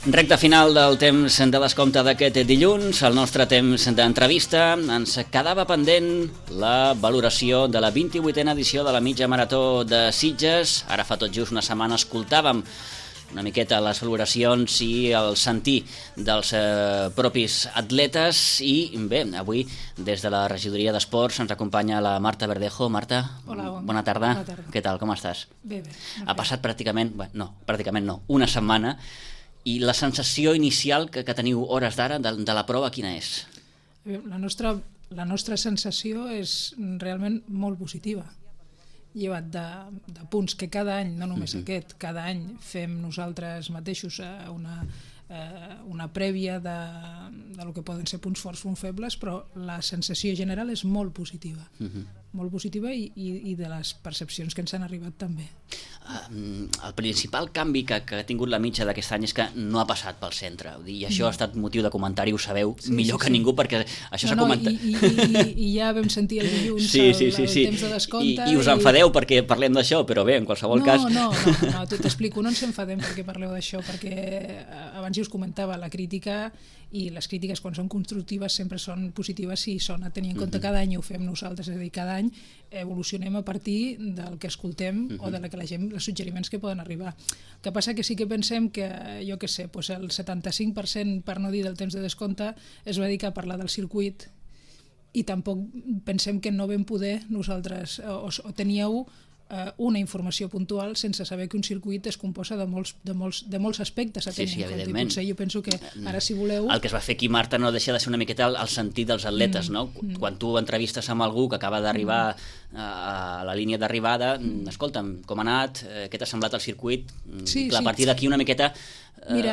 Recte final del temps de descompte d'aquest dilluns, el nostre temps d'entrevista. Ens quedava pendent la valoració de la 28a edició de la mitja marató de Sitges. Ara fa tot just una setmana escoltàvem una miqueta les valoracions i el sentir dels propis atletes i bé, avui des de la regidoria d'Esports ens acompanya la Marta Verdejo. Marta, hola, bona tarda. Bona tarda. Què tal, com estàs? Bé. Ha passat pràcticament no, una setmana i la sensació inicial que teniu hores d'ara de la prova quina és? La nostra sensació és realment molt positiva. Llevat de punts que cada any, no només aquest, cada any fem nosaltres mateixos una prèvia de lo que poden ser punts forts, punts febles, però la sensació general és molt positiva. Molt positiva i de les percepcions que ens han arribat també. El principal canvi que ha tingut la mitja d'aquest any és que no ha passat pel centre, i això ha estat motiu de comentari, ho sabeu millor que ningú, perquè això s'ha comentat. I ja vam sentir el dilluns el temps de descompte. I us enfadeu perquè parlem d'això, però bé, en qualsevol cas... No, t'explico, no ens enfadem perquè parleu d'això, perquè abans ja us comentava, la crítica i les crítiques quan són constructives sempre són positives si són a tenir en compte. Cada any ho fem nosaltres, és a dir, cada any evolucionem a partir del que escoltem o de la que la gent, els suggeriments que poden arribar. El que passa que sí que pensem que, jo què sé, el 75%, per no dir del temps de descompte, es va dedicar a parlar del circuit i tampoc pensem que no vam poder nosaltres, o teníeu una informació puntual sense saber que un circuit es composa de molts aspectes a tenir en compte. I potser jo penso que ara, si voleu... El que es va fer aquí, Marta, no deixa de ser una miqueta el sentit dels atletes, no? Quan tu entrevistes amb algú que acaba d'arribar a la línia d'arribada, escolta'm, com ha anat, què t'ha semblat el circuit? A partir d'aquí una miqueta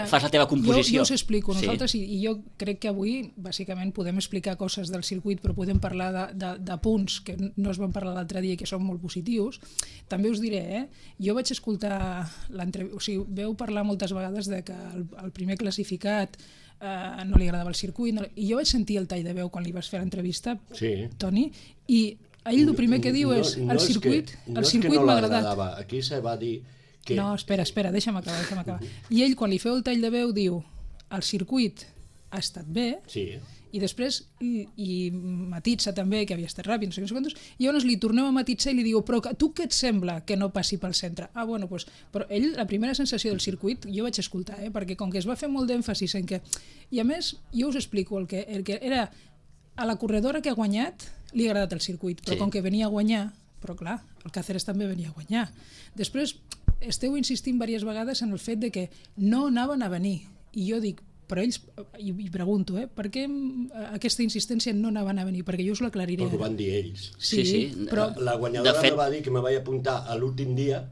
fas la teva composició. Jo us explico, nosaltres, i jo crec que avui bàsicament podem explicar coses del circuit, però podem parlar de punts que no es van parlar l'altre dia i que són molt positius. També us diré, jo vaig escoltar l'entrevista, o sigui, veu parlar moltes vegades de que el primer classificat no li agradava el circuit, i jo vaig sentir el tall de veu quan li vas fer l'entrevista, Toni, i ell el primer que diu és el circuit m'ha agradat. Aquí se va dir que... No, espera, deixa'm acabar. I ell, quan li feu el tall de veu, diu el circuit ha estat bé, i després i matitza també que havia estat ràpid, no sé quants, i llavors li torneu a matitzar i li diu, però tu què et sembla que no passi pel centre? Bueno, doncs, però ell, la primera sensació del circuit, jo vaig escoltar, perquè com que es va fer molt d'èmfasis en que... I a més, jo us explico, el que era a la corredora que ha guanyat, li ha agradat el circuit, però com que venia a guanyar, però clar, el Cáceres també venia a guanyar. Després, esteu insistint diverses vegades en el fet de que no anaven a venir, i jo dic, però ells, i pregunto, per què aquesta insistència no anaven a venir? Perquè jo us l'aclariré. Perquè ho van dir ells. Sí, però... La guanyadora me va dir que me vaig apuntar a l'últim dia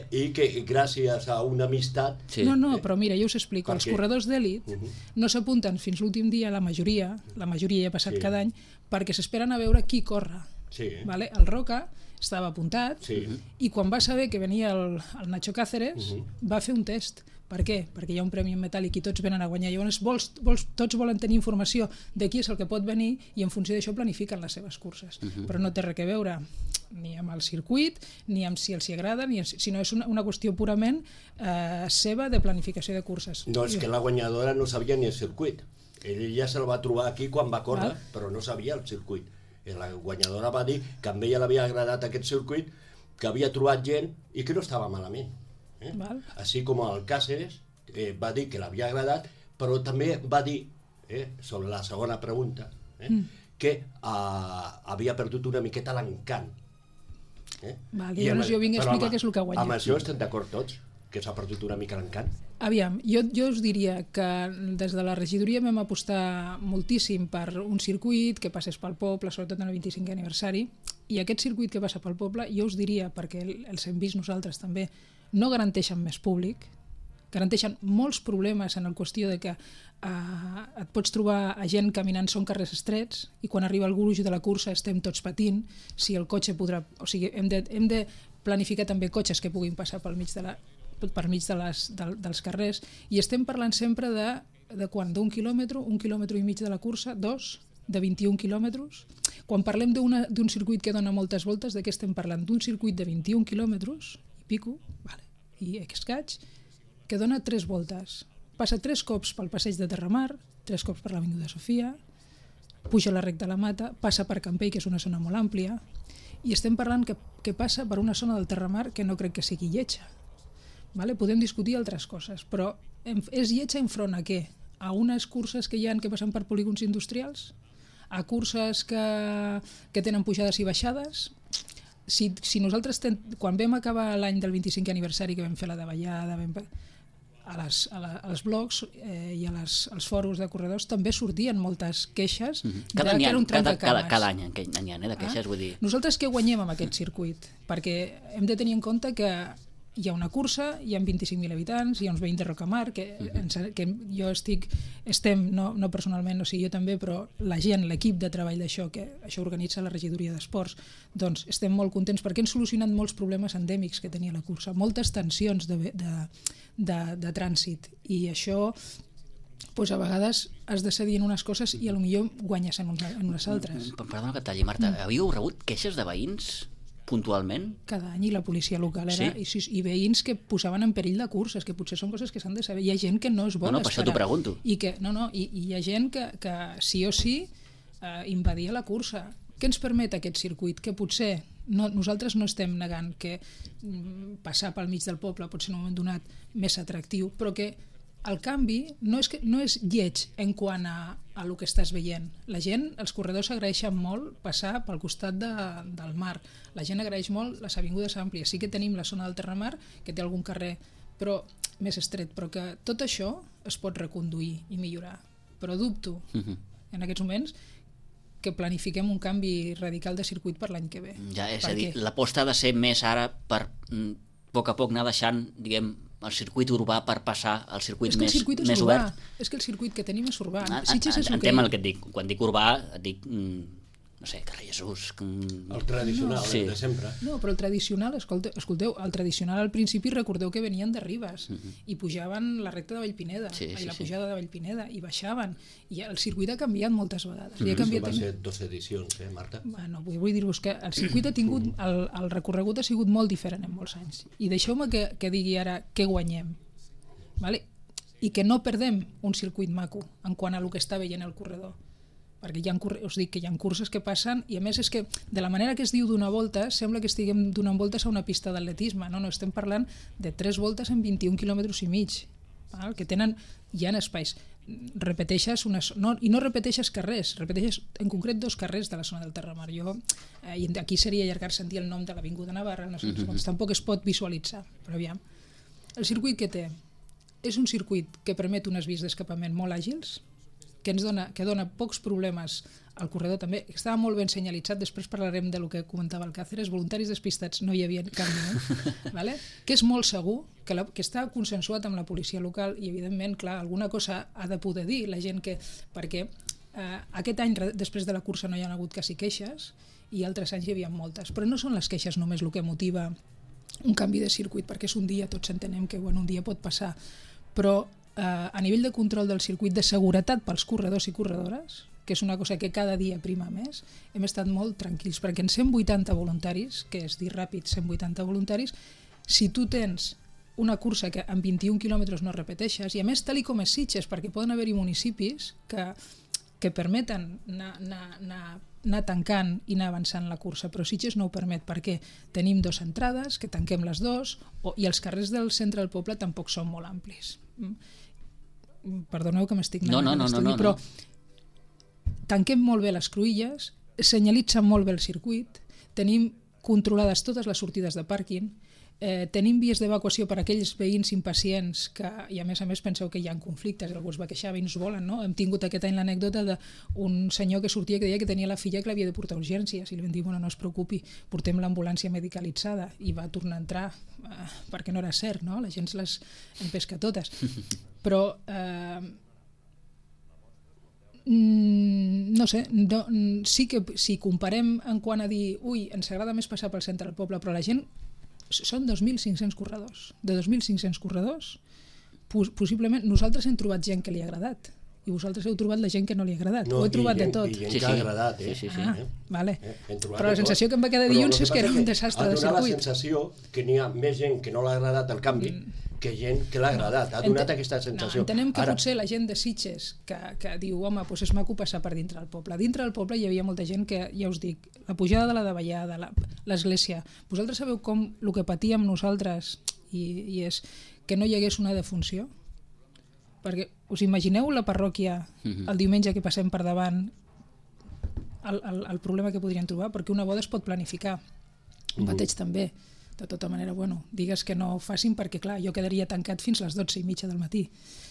i que gràcies a una amistat... No, però mira, jo us explico. Els corredors d'èlit no s'apunten fins l'últim dia, la majoria ja ha passat cada any, perquè s'esperen a veure qui corre. El Roca estava apuntat i quan va saber que venia el Nacho Cáceres va fer un test. Per què? Perquè hi ha un premi en metàl·lic i tots venen a guanyar. Llavors tots volen tenir informació de qui és el que pot venir i en funció d'això planifiquen les seves curses. Però no té res a veure ni amb el circuit, ni amb si els hi agrada, sinó és una qüestió purament seva de planificació de curses. No, és que la guanyadora no sabia ni el circuit. Ell ja se'l va trobar aquí quan va córrer, però no sabia el circuit. La guanyadora va dir que a ella l'havia agradat aquest circuit, que havia trobat gent i que no estava malament. Així com el Cáceres va dir que l'havia agradat, però també va dir, sobre la segona pregunta, que havia perdut una miqueta l'encant. Llavors jo vinc a explicar què és el que ha guanyat. Amb això estem d'acord tots, que s'ha perdut una mica l'encant? Aviam, jo us diria que des de la regidoria vam apostar moltíssim per un circuit que passés pel poble, sobretot en el 25è aniversari, i aquest circuit que passa pel poble, jo us diria, perquè els hem vist nosaltres també, no garanteixen més públic, garanteixen molts problemes en la qüestió de que et pots trobar a gent caminant, són carrers estrets, i quan arriba el gruix de la cursa estem tots patint, si el cotxe podrà... O sigui, hem de planificar també cotxes que puguin passar pel mig dels carrers, i estem parlant sempre de quan? D'un quilòmetre, 1,5 quilòmetres de la cursa, 2, de 21 quilòmetres. Quan parlem d'un circuit que dona moltes voltes, de què estem parlant? D'un circuit de 21 quilòmetres i pico, i escaig, que dona 3 voltes. passa 3 cops pel passeig de Terramar, 3 cops per l'Avinguda Sofia, puja la recta a la Mata, passa per Campell, que és una zona molt àmplia, i estem parlant que passa per una zona del Terramar que no crec que sigui lletja. Vale? Podem discutir altres coses, però és lletja enfront a què? A unes curses que hi ha que passen per polígons industrials? A curses que tenen pujades i baixades? Si nosaltres, quan vam acabar l'any del 25è aniversari, que vam fer la davallada, als blogs i als fòrums de corredors també sortien moltes queixes cada any n'hi ha de queixes, vull dir. Nosaltres què guanyem amb aquest circuit? Perquè hem de tenir en compte que hi ha una cursa, hi ha 25.000 habitants, hi ha uns veïns de Rocamar, que jo estem, no personalment, o sigui, jo també, però la gent, l'equip de treball d'això, que això organitza la regidoria d'esports, doncs estem molt contents perquè hem solucionat molts problemes endèmics que tenia la cursa, moltes tensions de trànsit, i això doncs a vegades has de cedir en unes coses i potser guanyes en unes altres. Perdona que et talli, Marta, havíeu rebut queixes de veïns puntualment? Cada any, i la policia local era, i veïns que posaven en perill de curses, que potser són coses que s'han de saber. Hi ha gent que no es vol esperar. Per això t'ho pregunto. I hi ha gent que sí o sí invadia la cursa. Què ens permet aquest circuit? Que potser nosaltres no estem negant que passar pel mig del poble pot ser en un moment donat més atractiu, però que el canvi no és lleig en quant a el que estàs veient. La gent, els corredors agraeixen molt passar pel costat del mar. La gent agraeix molt les avingudes àmplies. Sí que tenim la zona del Terramar, que té algun carrer però més estret, però que tot això es pot reconduir i millorar. Però dubto, en aquests moments, que planifiquem un canvi radical de circuit per l'any que ve. Ja, és a dir, l'aposta ha de ser més ara per a poc anar deixant, diguem, el circuit urbà per passar al circuit més obert. És que el circuit que tenim és urbà. Entenc el que et dic. Quan dic urbà, et dic, no sé, carrer Jesús. El tradicional, de sempre. No, però el tradicional, escolteu, el tradicional al principi recordeu que venien de Ribes i pujaven la recta de Vallpineda, la pujada de Vallpineda, i baixaven. I el circuit ha canviat moltes vegades. Va ser 2 edicions, Marta? Bueno, vull dir-vos que el circuit ha tingut, el recorregut ha sigut molt diferent en molts anys. I deixeu-me que digui ara què guanyem. Vale? I que no perdem un circuit maco en quant a el que està veient el corredor. Perquè us dic que hi ha curses que passen, i a més és que de la manera que es diu donar voltes sembla que estiguem donant voltes a una pista d'atletisme. No, estem parlant de 3 voltes en 21 quilòmetres i mig, que hi ha espais. Repeteixes i no repeteixes carrers, repeteixes en concret 2 carrers de la zona del Terramar. I aquí seria allargar-se en dir el nom de l'Avinguda Navarra, no sé, tampoc es pot visualitzar, però aviam. El circuit que té és un circuit que permet unes vies d'escapament molt àgils, que dona pocs problemes al corredor també, que estava molt ben senyalitzat, després parlarem del que comentava el Càceres, voluntaris despistats no hi havia cap minut, vale? Que és molt segur, que està consensuat amb la policia local, i evidentment, clar, alguna cosa ha de poder dir la gent perquè aquest any, després de la cursa, no hi ha hagut quasi queixes, i altres anys hi havia moltes, però no són les queixes només el que motiva un canvi de circuit, perquè és un dia, tots entenem que un dia pot passar, però a nivell de control del circuit, de seguretat pels corredors i corredores, que és una cosa que cada dia prima més, hem estat molt tranquils, perquè en 180 voluntaris, que és dir ràpid, 180 voluntaris, si tu tens una cursa que en 21 quilòmetres no repeteixes, i a més tal com és Sitges, perquè poden haver-hi municipis que permeten anar tancant i anar avançant la cursa, però Sitges no ho permet, perquè tenim 2 entrades, que tanquem les 2, i els carrers del centre del poble tampoc són molt amplis. Perdoneu que m'estic anant a l'estudi, però tanquem molt bé les cruïlles, senyalitzen molt bé el circuit, tenim controlades totes les sortides de pàrquing, tenim vies d'evacuació per a aquells veïns impacients i a més penseu que hi ha conflictes, algú es va queixar, veïns volen, no? Hem tingut aquest any l'anècdota d'un senyor que sortia que deia que tenia la filla que l'havia de portar a urgències, i li vam dir, no es preocupi, portem l'ambulància medicalitzada, i va tornar a entrar perquè no era cert, no? La gent se les empesca totes, però no sé, sí que si comparem en quant a dir ens agrada més passar pel centre del poble, però la gent són 2.500 corredors. De 2.500 corredors, possiblement nosaltres hem trobat gent que li ha agradat i vosaltres heu trobat la gent que no li ha agradat. No, ho he trobat de tot. I gent que ha agradat, Sí. Vale. Però la sensació que em va quedar dilluns és que era un desastre de circuit. Ha donat la sensació que n'hi ha més gent que no l'ha agradat el canvi que gent que l'ha agradat. Ha donat aquesta sensació. Entenem que potser la gent de Sitges que diu, home, doncs és maco passar per dintre del poble. Dintre del poble hi havia molta gent que, ja us dic, la pujada de la davallada, l'església. Vosaltres sabeu com el que patíem nosaltres i és que no hi hagués una defunció? Perquè us imagineu la parròquia el diumenge que passem per davant el problema que podrien trobar? Perquè una boda es pot planificar, un bateig també. De tota manera, bueno, digues que no ho facin perquè, clar, jo quedaria tancat fins les 12:30 del matí.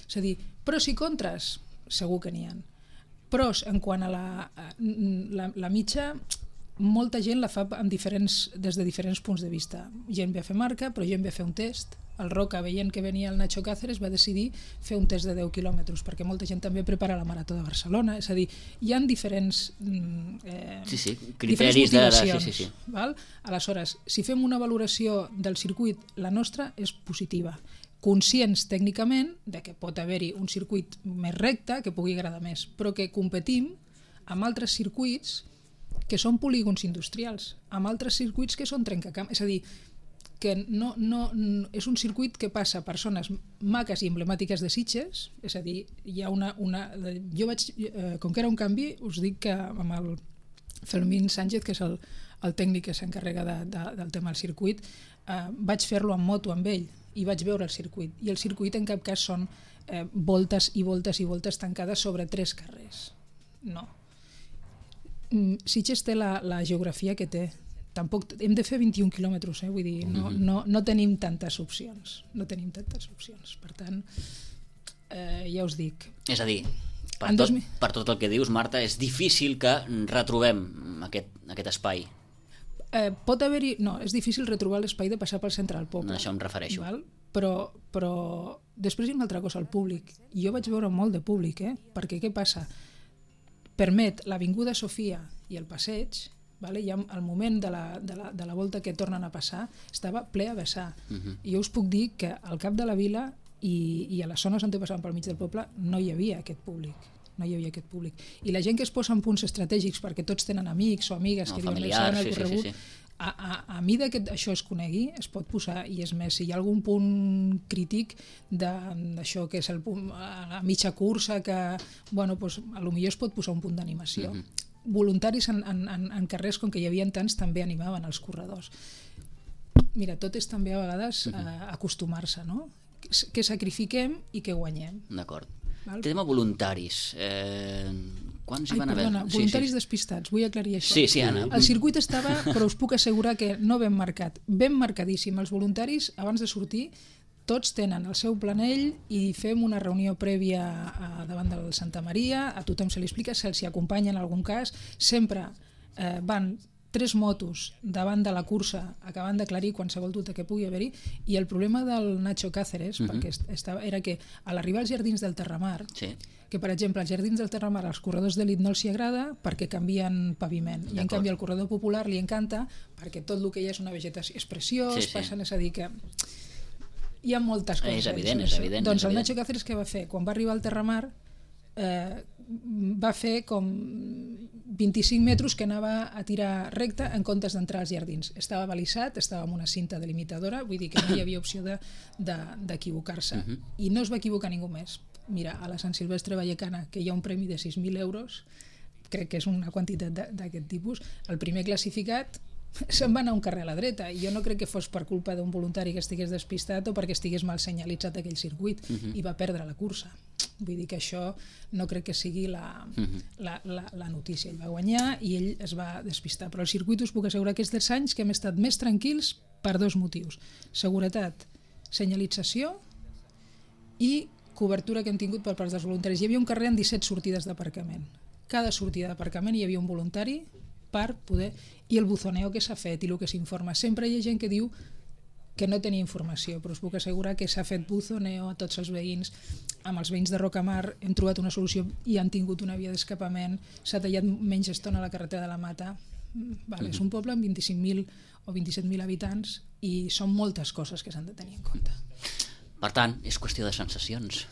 És a dir, pros i contres, segur que n'hi ha. Pros, en quant a la mitja, molta gent la fa des de diferents punts de vista. Gent ve a fer marca, però gent ve a fer un test. El Roca, veient que venia el Nacho Cáceres, va decidir fer un test de 10 quilòmetres, perquè molta gent també prepara la Marató de Barcelona. És a dir, hi ha diferents criteris motivacions. Val? Aleshores, si fem una valoració del circuit, la nostra és positiva. Conscients tècnicament de que pot haver-hi un circuit més recte, que pugui agradar més, però que competim amb altres circuits que són polígons industrials, amb altres circuits que són trencacamps. És a dir, que no, és un circuit que passa a persones maques i emblemàtiques de Sitges, és a dir, hi ha jo vaig, com que era un canvi, us dic que amb el Fermín Sánchez, que és el tècnic que s'encarrega del tema del circuit, vaig fer-lo en moto amb ell i vaig veure el circuit, i el circuit en cap cas són voltes i voltes i voltes tancades sobre 3 carrers. No. Sitges té la geografia que té. Tampoc hem de fer 21 quilòmetres, vull dir, no tenim tantes opcions. No tenim tantes opcions. Per tant, ja us dic. És a dir, per tot el que dius, Marta, és difícil que retrobem aquest espai. Pot haver-hi... No, és difícil retrobar l'espai de passar pel centre del poble. A això em refereixo. Val? Però després hi ha una altra cosa, el públic. Jo vaig veure molt de públic, perquè què passa? Permet l'Avinguda Sofia i el passeig, i al moment de la volta que tornen a passar estava ple a vessar. I jo us puc dir que al cap de la vila i a les zones on passaven pel mig del poble no hi havia aquest públic. I la gent que es posa en punts estratègics perquè tots tenen amics o amigues que diuen el corregut, a mida que això es conegui es pot posar, i és més, si hi ha algun punt crític d'això que és la mitja cursa, que potser es pot posar un punt d'animació. Voluntaris en carrers, com que hi havia tants, també animaven els corredors. Mira, tot és també a vegades acostumar-se, no? Que sacrifiquem i que guanyem. D'acord. Tema voluntaris. Quants hi van haver? Perdona, voluntaris despistats, vull aclarir això. Sí, Anna. El circuit estava, però us puc assegurar que no ben marcat, ben marcadíssim. Els voluntaris, abans de sortir, tots tenen el seu planell i fem una reunió prèvia davant del Santa Maria, a tothom se li explica, se'ls acompanya en algun cas, sempre van 3 motos davant de la cursa acabant d'aclarir qualsevol dubte que pugui haver-hi, i el problema del Nacho Cáceres era que a l'arribar als Jardins del Terramar, que per exemple als Jardins del Terramar als corredors d'elit no els hi agrada perquè canvien paviment, i en canvi al corredor popular li encanta perquè tot el que hi ha és una vegetació, és preciós, passen, és a dir que hi ha moltes coses. És evident. Doncs el Nacho Cáceres què va fer? Quan va arribar al Terramar va fer com 25 metres que anava a tirar recte en comptes d'entrar als jardins. Estava balisat, estava amb una cinta delimitadora, vull dir que no hi havia opció d'equivocar-se. I no es va equivocar ningú més. Mira, a la Sant Silvestre Vallecana, que hi ha un premi de 6.000 euros, crec que és una quantitat d'aquest tipus, el primer classificat se'n va anar un carrer a la dreta, i jo no crec que fos per culpa d'un voluntari que estigués despistat o perquè estigués mal senyalitzat aquell circuit, i va perdre la cursa. Vull dir que això no crec que sigui la notícia. Ell va guanyar i ell es va despistar, però el circuit us puc assegurar que és dels anys que hem estat més tranquils per 2 motius: seguretat, senyalització i cobertura que hem tingut per part dels voluntaris. Hi havia un carrer amb 17 sortides d'aparcament. Cada sortida d'aparcament hi havia un voluntari per poder... I el buzoneo que s'ha fet i el que s'informa. Sempre hi ha gent que diu que no tenia informació, però us puc assegurar que s'ha fet buzoneo a tots els veïns. Amb els veïns de Rocamar hem trobat una solució i han tingut una via d'escapament, s'ha tallat menys estona a la carretera de la Mata. És un poble amb 25.000 o 27.000 habitants i són moltes coses que s'han de tenir en compte. Per tant, és qüestió de sensacions.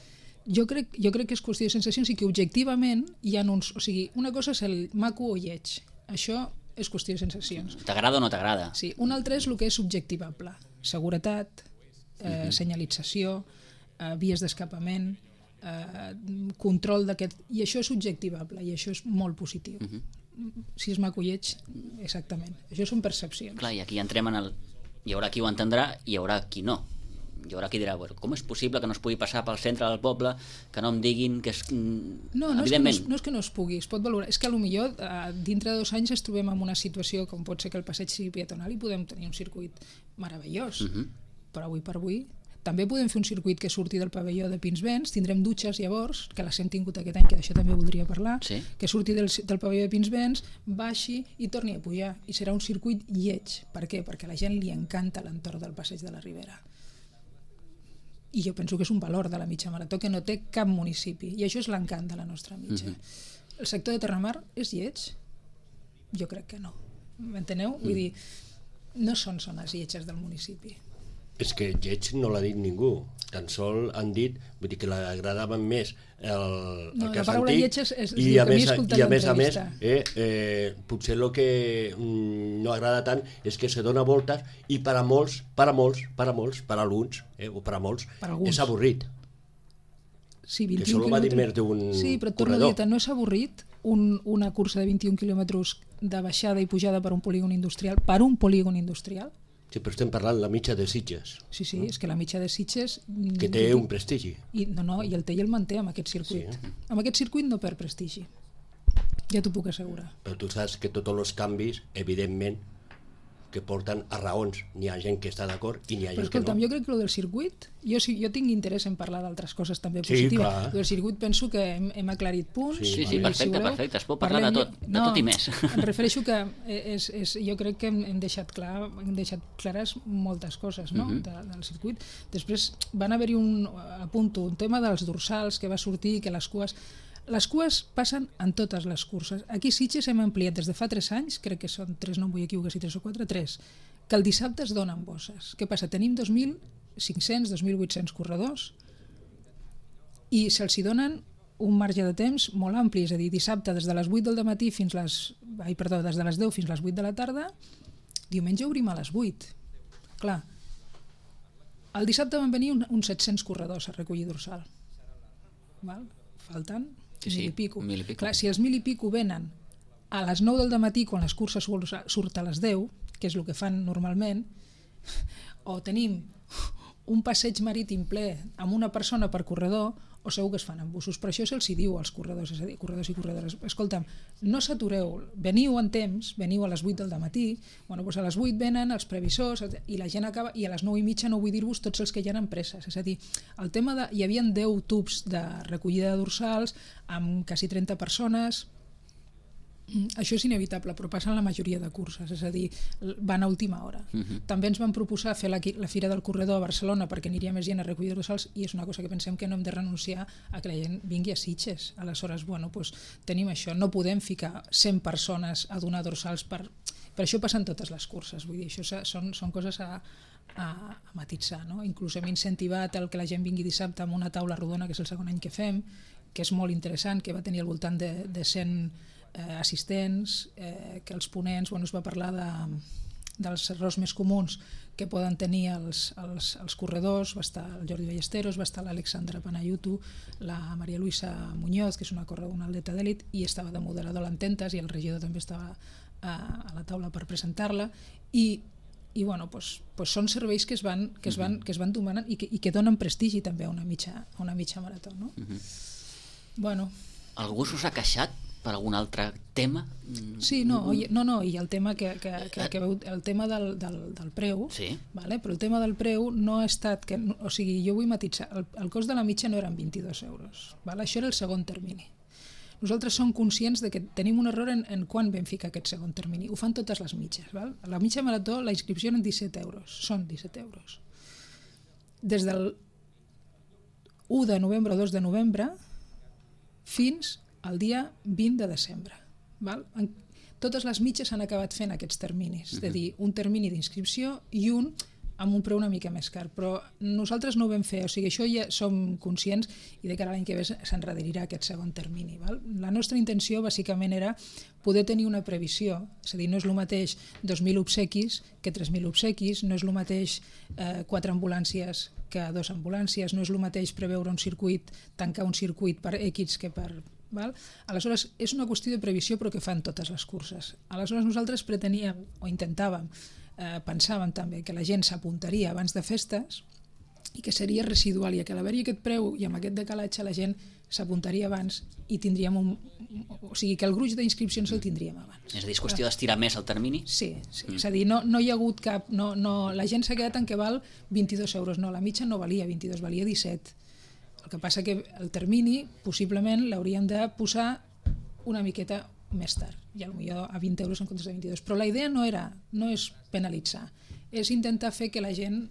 Jo crec que és qüestió de sensacions i que objectivament hi ha uns... O sigui, una cosa és el maco o lleig. Això és qüestió de sensacions. T'agrada o no t'agrada? Sí, una altra és el que és subjectivable. Seguretat, senyalització, vies d'escapament, control d'aquest... I això és subjectivable i això és molt positiu. Si és maco o lleig, exactament. Això són percepcions. Clar, i aquí entrem en el... Hi haurà qui ho entendrà i hi haurà qui no. Hi haurà qui dirà, bueno, com és possible que no es pugui passar pel centre del poble, que no em diguin que és... No és que no es pugui, es pot valorar. És que potser dintre de 2 anys ens trobem en una situació com pot ser que el passeig sigui peatonal i podem tenir un circuit meravellós. Però avui per avui també podem fer un circuit que surti del pavelló de Pinsbens, tindrem dutxes llavors, que les hem tingut aquest any, que d'això també voldria parlar, sí. Que surti del pavelló de Pinsbens, baixi i torni a pujar. I serà un circuit lleig. Per què? Perquè a la gent li encanta l'entorn del passeig de la Ribera. I jo penso que és un valor de la mitja marató que no té cap municipi, i això és l'encant de la nostra mitja. El sector de Terramar és lleig? Jo crec que no. M'enteneu? Vull dir, no són zones lletges del municipi. És que lleig no l'ha dit ningú, tan sol han dit, vull dir que l'agradaven més el cas antic, i a més a més potser el que no agrada tant és que se dona voltes i per a molts, per a alguns o per a molts és avorrit. Sí, que això ho va dir més d'un corredor. Sí, però et torno a dir, no és avorrit una cursa de 21 quilòmetres de baixada i pujada per un polígon industrial, Sí, però estem parlant la mitja de Sitges. Sí, és que la mitja de Sitges... Que té un prestigi. I el té i el manté amb aquest circuit. Sí. Amb aquest circuit no perd prestigi. Ja t'ho puc assegurar. Però tu saps que tots els canvis, evidentment, que porten a raons. N'hi ha gent que està d'acord i n'hi ha gent que no. Jo crec que el del circuit, jo tinc interès en parlar d'altres coses també positives. El del circuit penso que hem aclarit punts. Sí, perfecte, es pot parlar de tot i més. Em refereixo que jo crec que hem deixat clares moltes coses del circuit. Després van haver-hi un tema dels dorsals que va sortir, que les cues passen en totes les curses. Aquí a Sitges hem ampliat des de fa 3 anys, crec que són 3, no em vull equivocar si 3 o 4, 3, que el dissabte es donen bosses. Què passa? Tenim 2.500, 2.800 corredors i se'ls donen un marge de temps molt ampli, és a dir, dissabte des de les 8 del matí des de les 10 fins a les 8 de la tarda, diumenge obrim a les 8. Clar, el dissabte van venir uns 700 corredors a recollir dorsal. Falten 1.000 i pico. Clar, si els 1.000 i pico venen a les 9 del matí quan les curses surten a les 10, que és el que fan normalment, o tenim un passeig marítim ple amb una persona per corredor, o segur que es fan en busos. Per això se'ls diu als corredors, és a dir, corredors i corredores, escolta'm, no s'atureu, veniu en temps, veniu a les 8 del matí, doncs a les 8 venen els previsors i la gent acaba, i a les 9:30 no vull dir-vos tots els que hi ha empreses, és a dir, el tema hi havia 10 tubs de recollida de dorsals amb quasi 30 persones. Això és inevitable, però passa en la majoria de curses, és a dir, van a última hora. També ens van proposar fer la Fira del Corredor a Barcelona perquè aniria més gent a recollir dorsals, i és una cosa que pensem que no hem de renunciar a que la gent vingui a Sitges. Aleshores, tenim això, no podem ficar 100 persones a donar dorsals per això passen totes les curses, vull dir, això són coses a matitzar, no? Inclús hem incentivat el que la gent vingui dissabte amb una taula rodona, que és el segon any que fem, que és molt interessant, que va tenir al voltant de 100 assistents, que els ponents es va parlar dels errors més comuns que poden tenir els corredors. Va estar el Jordi Ballesteros, va estar l'Alexandra Panayutu, la Maria Luisa Muñoz, que és una atleta d'èlit, i estava de moderador a l'Ententes, i el regidor també estava a la taula per presentar-la, i són serveis que es van domanant i que donen prestigi també a una mitja marató, no? Algú s'us ha queixat per algun altre tema? Sí, i el tema el tema del preu, sí. Però el tema del preu no ha estat o sigui, jo vull matitzar, el cost de la mitja no eren 22 euros, això era el segon termini. Nosaltres som conscients de que tenim un error en quan vam ficar aquest segon termini. Ho fan totes les mitges. A la mitja marató la inscripció eren 17 euros, són 17 euros. Des del 1 de novembre o 2 de novembre fins al dia 20 de desembre. Totes les mitges han acabat fent aquests terminis, és a dir, un termini d'inscripció i un amb un preu una mica més car, però nosaltres no ho vam fer, o sigui, això ja som conscients i de cara a l'any que ve s'enrederirà aquest segon termini. Val? La nostra intenció bàsicament era poder tenir una previsió, és a dir, no és el mateix 2.000 obsequis que 3.000 obsequis, no és el mateix 4 ambulàncies que 2 ambulàncies, no és el mateix preveure un circuit, tancar un circuit per X que per... Val? Aleshores, és una qüestió de previsió però que fan totes les curses. Aleshores nosaltres preteníem o intentàvem, pensàvem també que la gent s'apuntaria abans de festes i que seria residual i que a l'haver-hi aquest preu i amb aquest decalatge la gent s'apuntaria abans i tindríem o sigui que el gruix d'inscripcions el tindríem abans. És a dir, és qüestió d'estirar més el termini? Sí. És a dir, no hi ha hagut cap... la gent s'ha quedat en què val 22 euros, no, la mitja no valia 22, valia 17. El que passa que el termini possiblement l'hauríem de posar una miqueta més tard, i potser a 20 euros en comptes de 22. Però la idea no és penalitzar, és intentar fer que la gent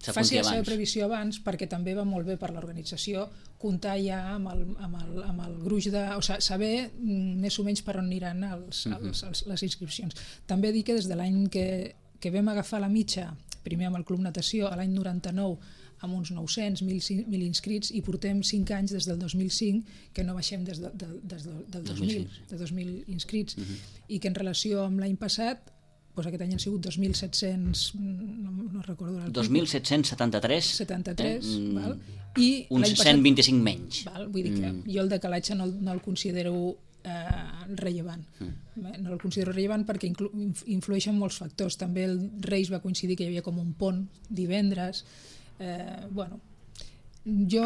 faci la seva previsió abans, perquè també va molt bé per l'organització comptar ja amb el gruix de... O sigui, saber més o menys per on aniran les inscripcions. També dir que des de l'any que vam agafar la mitja, primer amb el Club Natació, a l'any 99, amb uns 900, 1.000 inscrits, i portem 5 anys des del 2005 que no baixem des del 2000, de 2.000 inscrits, i que en relació amb l'any passat, doncs aquest any han sigut 2.700, no recordo... 2.773? 73, val? I uns 125 menys. Val? Vull dir que jo el decalatge no el considero rellevant. No el considero rellevant perquè influeixen molts factors. També el Reis va coincidir que hi havia com un pont divendres. Jo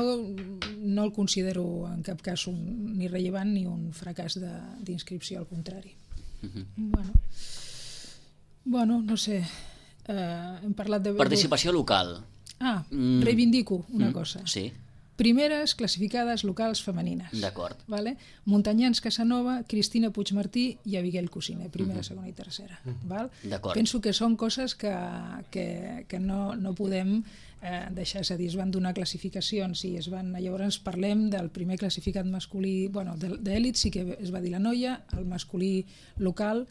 no el considero en cap cas ni rellevant ni un fracàs d'inscripció, al contrari. No sé, hem parlat de... Participació local. Reivindico una cosa. Sí. Primeres classificades locals femenines. D'acord. Vale? Muntanyans Casanova, Cristina Puigmartí i Abigail Cosiner, primera, segona i tercera. Val? D'acord. Penso que són coses que no podem deixar. És a dir, es van donar classificacions i llavors parlem del primer classificat masculí, d'èlit sí que es va dir la noia, el masculí local.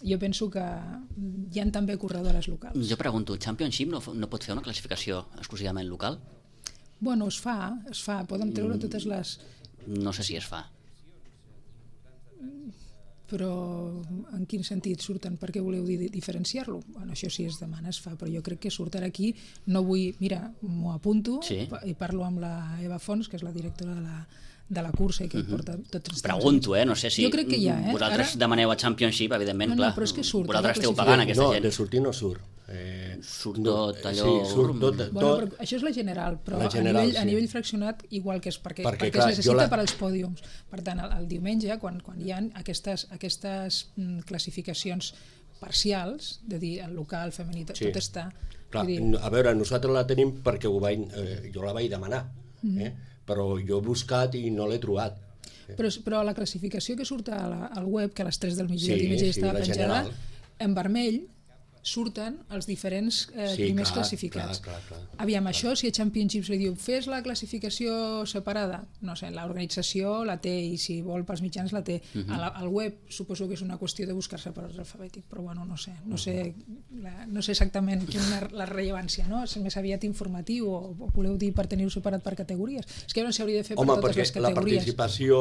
Jo penso que hi ha també corredores locals. Jo pregunto, Championship no pot fer una classificació exclusivament local? Es fa, poden treure totes les... No sé si es fa. Però en quin sentit surten? Per què voleu diferenciar-lo? Això sí es demana, es fa, però jo crec que surt ara aquí, no vull... Mira, m'ho apunto i parlo amb la Eva Fons, que és la directora de la cursa i que porta tots els... Pregunto, no sé si... Jo crec que hi ha, vosaltres demaneu a Championship, evidentment, clar. No, però és que surt. Vosaltres esteu pagant aquesta gent. No, de sortir no surt. Surt tot allò... Sí, surt tot. Però això és la general, però a nivell fraccionat igual que és perquè es necessita per als pòdiums. Per tant, el diumenge, quan hi ha aquestes classificacions parcials, de dir el local, el femení, tot està... Clar, a veure, nosaltres la tenim perquè jo la vaig demanar, però jo he buscat i no l'he trobat. Però la classificació que surt al web, que a les 3 del migdia estava penjada, en vermell surten els diferents primers classificats. Clar. Aviam, això, si a Championships li diu fes la classificació separada, no sé, l'organització la té i si vol pels mitjans la té. Al web suposo que és una qüestió de buscar-se per ordre alfabètic, però no sé exactament quina és la rellevància, no? És més aviat informatiu o voleu dir per tenir-ho separat per categories? És que no s'hauria de fer per totes les categories. Home, perquè la participació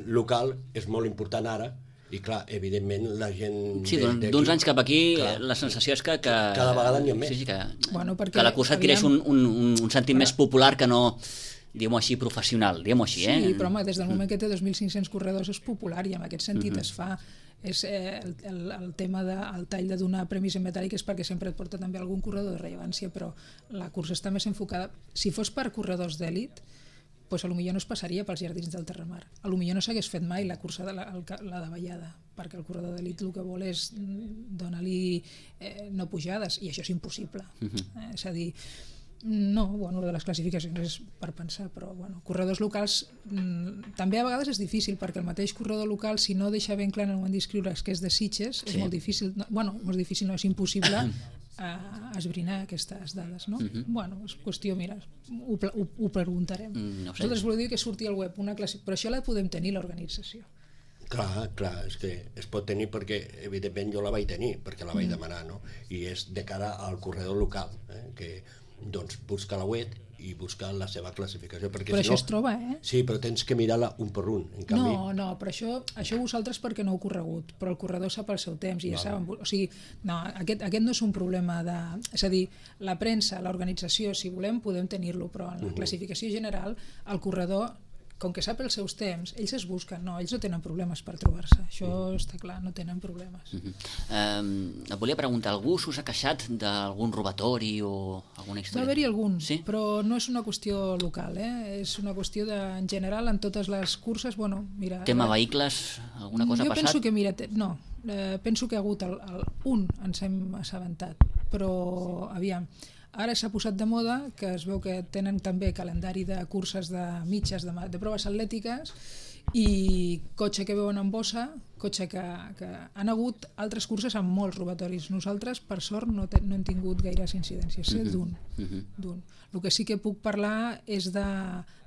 local és molt important ara. I clar, evidentment la gent... Sí, d'uns anys cap aquí la sensació és que cada vegada n'hi ha més. Que la cursa adquireix un sentit més popular que no, diguem-ho així, professional, diguem-ho així. Sí, però home, des del moment que té 2.500 corredors és popular i en aquest sentit es fa... el tema del tall de donar premis en metàl·lic és perquè sempre et porta també algun corredor de rellevància, però la cursa està més enfocada... Si fos per corredors d'èlit, doncs potser no es passaria pels jardins del Terramar. Potser no s'hagués fet mai la cursa de la davallada, perquè el corredor d'elit el que vol és donar-li no pujades, i això és impossible. És a dir, de les classificacions és per pensar, però corredors locals també a vegades és difícil, perquè el mateix corredor local, si no deixa ben clar en el moment d'inscriure's que és de Sitges, és molt difícil, molt difícil, no és impossible esbrinar aquestes dades, no? És qüestió, mira, ho preguntarem. Nosaltres voleu dir que surti al web una classe, però això la podem tenir l'organització. Clar, és que es pot tenir perquè, evidentment, jo la vaig tenir, perquè la vaig demanar, no? I és de cara al corredor local, que doncs busca la web i busca la seva classificació. Perquè però si això no, es troba, Sí, però tens que mirar-la un per un. En canvi... No, però això vosaltres perquè no heu corregut, però el corredor sap el seu temps i ja saben... O sigui, no, aquest no és un problema de... És a dir, la premsa, l'organització, si volem, podem tenir-lo, però en la classificació general, el corredor, com que sap els seus temps, ells es busquen, ells no tenen problemes per trobar-se, això està clar, no tenen problemes. Et volia preguntar, algú s'us ha queixat d'algun robatori o alguna història? Va haver-hi algun, sí? Però no és una qüestió local, és una qüestió en general en totes les curses, mira... Tema vehicles, alguna cosa ha passat? Jo penso que, penso que ha hagut un, ens hem assabentat, però aviam, ara s'ha posat de moda que es veu que tenen també calendari de curses de mitges, de proves atlètiques i cotxe que veuen en bossa, cotxe que han hagut altres curses amb molts robatoris. Nosaltres, per sort, no hem tingut gaires incidències, d'un. El que sí que puc parlar és de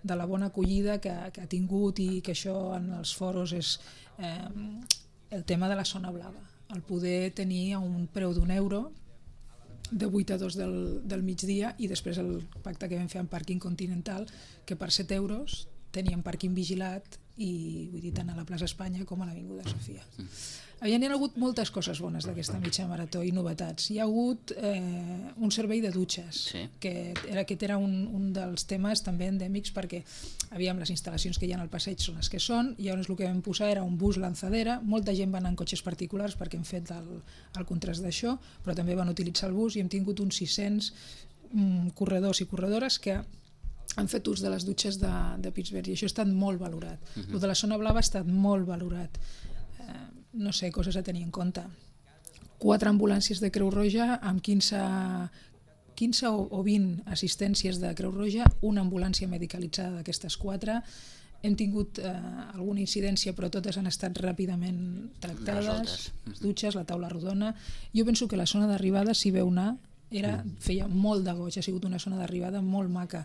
la bona acollida que ha tingut i que això en els foros és el tema de la zona blava, el poder tenir a un preu d'€1 de 8 a 2 del migdia i després el pacte que vam fer amb Pàrquing Continental, que per €7 teníem pàrquing vigilat i vull dir tant a la plaça Espanya com a l'Avinguda Sofia. Hi ha hagut moltes coses bones d'aquesta mitja marató i novetats. Hi ha hagut un servei de dutxes, que aquest era un dels temes també endèmics perquè les instal·lacions que hi ha al passeig són les que són, i llavors el que vam posar era un bus lanzadera, molta gent va anar en cotxes particulars perquè hem fet el contrast d'això, però també van utilitzar el bus i hem tingut uns 600 corredors i corredores que han fet ús de les dutxes de Pittsburgh i això ha estat molt valorat. El de la zona blava ha estat molt valorat. No sé, coses a tenir en compte. 4 ambulàncies de Creu Roja amb 15 o 20 assistències de Creu Roja, una ambulància medicalitzada d'aquestes 4. Hem tingut alguna incidència, però totes han estat ràpidament tractades. Les dutxes, la taula rodona. Jo penso que la zona d'arribada, si veu anar, feia molt de goig, ha sigut una zona d'arribada molt maca,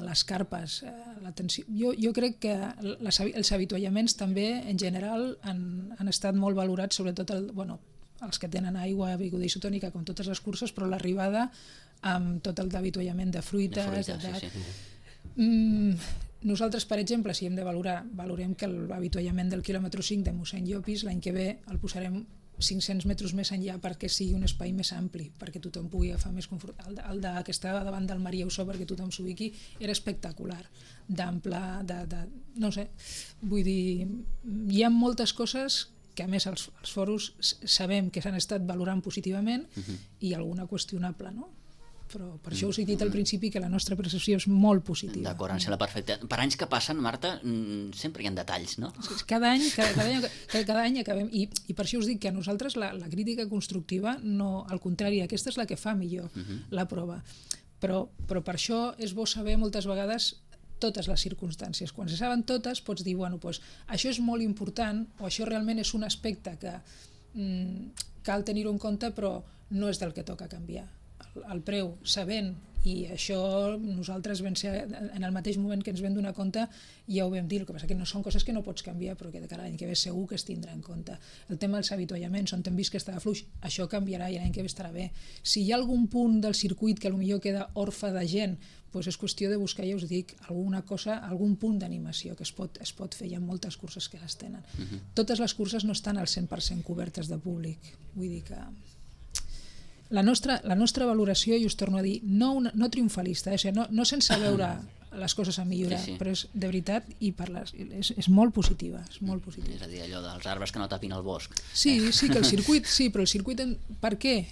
les carpes, l'atenció. Jo crec que els avituallaments també en general han estat molt valorats, sobretot els que tenen aigua, beguda isotònica com totes les curses, però l'arribada amb tot el d'avituallament de fruites, nosaltres, per exemple, si hem de valorar, valorem que l'avituallament del quilòmetre 5 de mossèn Llopis l'any que ve el posarem 500 metres més enllà perquè sigui un espai més ampli, perquè tothom pugui agafar més confort. El que estava davant del Maria Usó perquè tothom s'ubiqui era espectacular, d'ample, no sé, vull dir, hi ha moltes coses que a més els foros sabem que s'han estat valorant positivament i alguna qüestionable, no? Però per això us he dit al principi que la nostra percepció és molt positiva. D'acord, em sembla perfecte. Per anys que passen, Marta, sempre hi ha detalls, no? Cada any acabem, i per això us dic que a nosaltres la crítica constructiva, no, al contrari, aquesta és la que fa millor la prova. Però per això és bo saber moltes vegades totes les circumstàncies. Quan se saben totes pots dir, això és molt important o això realment és un aspecte que cal tenir-ho en compte però no és del que toca canviar. El preu, sabent, i això nosaltres vam ser, en el mateix moment que ens vam donar compte ja ho vam dir, el que passa que no són coses que no pots canviar però que de cara a l'any que ve segur que es tindrà en compte. El tema dels avituallaments, on hem vist que estava fluix, això canviarà i l'any que ve estarà bé. Si hi ha algun punt del circuit que potser queda orfe de gent, doncs és qüestió de buscar, ja us dic, alguna cosa, algun punt d'animació que es pot fer, hi ha moltes curses que les tenen. Totes les curses no estan al 100% cobertes de públic, vull dir que la nostra valoració, i us torno a dir, no triomfalista, no sense veure les coses a millorar, però és de veritat i és molt positiva, és molt positiva. És a dir, allò dels arbres que no tapin el bosc. Sí, que el circuit, però el circuit, per què?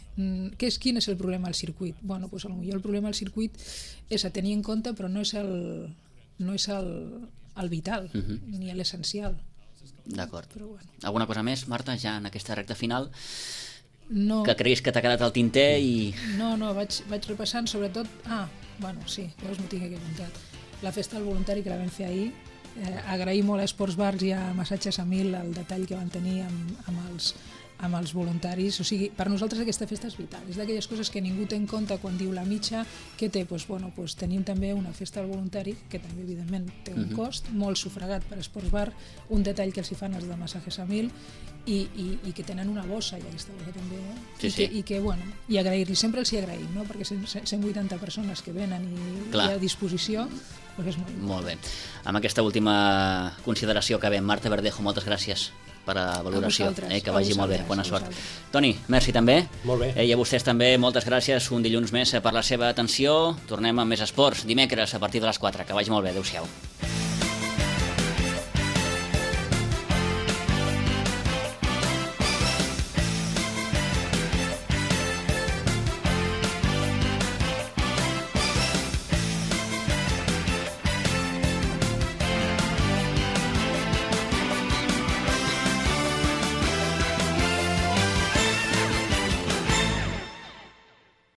Quin és el problema del circuit? Bueno, doncs potser el problema del circuit és a tenir en compte, però no és el vital, ni l'essencial. D'acord. Alguna cosa més, Marta, ja en aquesta recta final? No. Que creguis que t'ha quedat al tinter i... No, vaig repassant sobretot... sí, veus, m'ho tinc aquí apuntat. La festa del voluntari que la vam fer ahir, agrair molt a Esports Bars i a Massatges a Mil el detall que van tenir amb amb els voluntaris. O sigui, per nosaltres aquesta festa és vital. És d'aquelles coses que ningú té en compte quan diu la mitja, que té, doncs tenim també una festa al voluntari, que també evidentment té un cost, molt sufragat per Esports Bar, un detall que els hi fan els de Masajes a 1000, i que tenen una bossa, i aquesta bossa també, i agrair-li, sempre els hi agraïm, no? Perquè 180 persones que venen i a disposició, doncs és molt bé. Amb aquesta última consideració que ve, Marta Verdejo, moltes gràcies per la valoració, que vagi molt bé, bona sort. Toni, merci també. Molt bé. I a vostès també, moltes gràcies, un dilluns més per la seva atenció. Tornem amb més esports dimecres a partir de les 4, que vagi molt bé, adeu-siau.